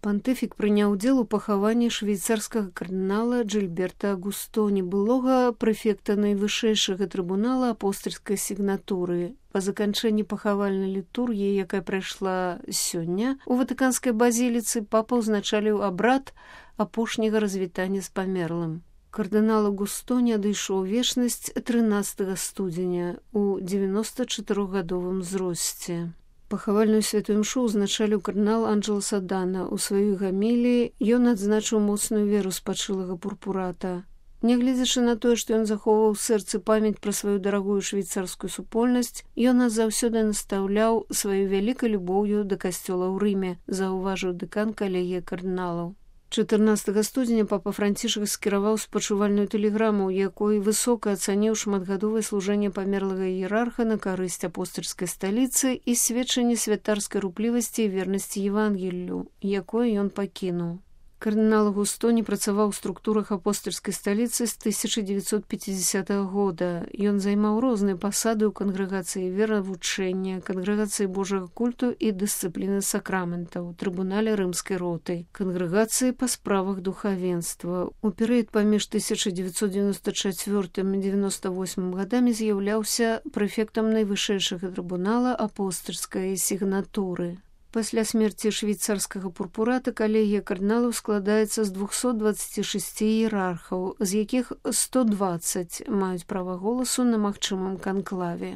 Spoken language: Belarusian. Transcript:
Пантыфік прыняў удзел у пахаванні швейцарскага кардынала Джильберта Агустоні, былога прэфекта найвышэйшага трыбунала апостальскай сігнатуры. Па заканчэнні пахавальнай літургіі, якая прайшла сёння, у ватыканскай базіліцы папа ўзначаліў абрад апошняга развітання з памерлым. Кардынал Агустоні адышоў у вечнасць 13 студзеня у 94-гадовым узросце. Пахавальную святую імшу ўзначаліў кардынал Анджело Садана. У сваёй гаміліі ён адзначыў моцную веру спачылага пурпурата. Нягледзячы на тое, што ён захоўваў у сэрцы памяць пра сваю дарагую швейцарскую супольнасць, ён нас заўсёды настаўляў сваёй вялікай любоўю да касцёла ў Рыме, заўважыў дэкан калегія кардыналаў. 14 студзеня папа Францішак скіраваў спачувальную тэлеграму, у якой высока ацаніў шматгадовае служэнне памерлага іерарха на карысць апостальскай сталіцы і сведчанне святарскай руплівасці і вернасці Евангелію, якое ён пакінуў. Кардынал Агустоні працаваў у структурах апостальскай сталіцы з 1950 года. Ён займаў розныя пасады ў кангрэгацыі веравучэння, кангрэгацыі Божага культу і дысцыпліны сакраментаў, трыбунале рымскай роты, кангрэгацыі па справах духавенства. У перыяд паміж 1994 і 98 гадамі з'яўляўся прэфектам найвышэйшага трыбунала апостальскай сігнатуры. Пасля смерці швейцарскага пурпурата калегія кардыналаў складаецца з 226 іерархаў, з якіх 120 маюць права голасу на магчымым канклаве.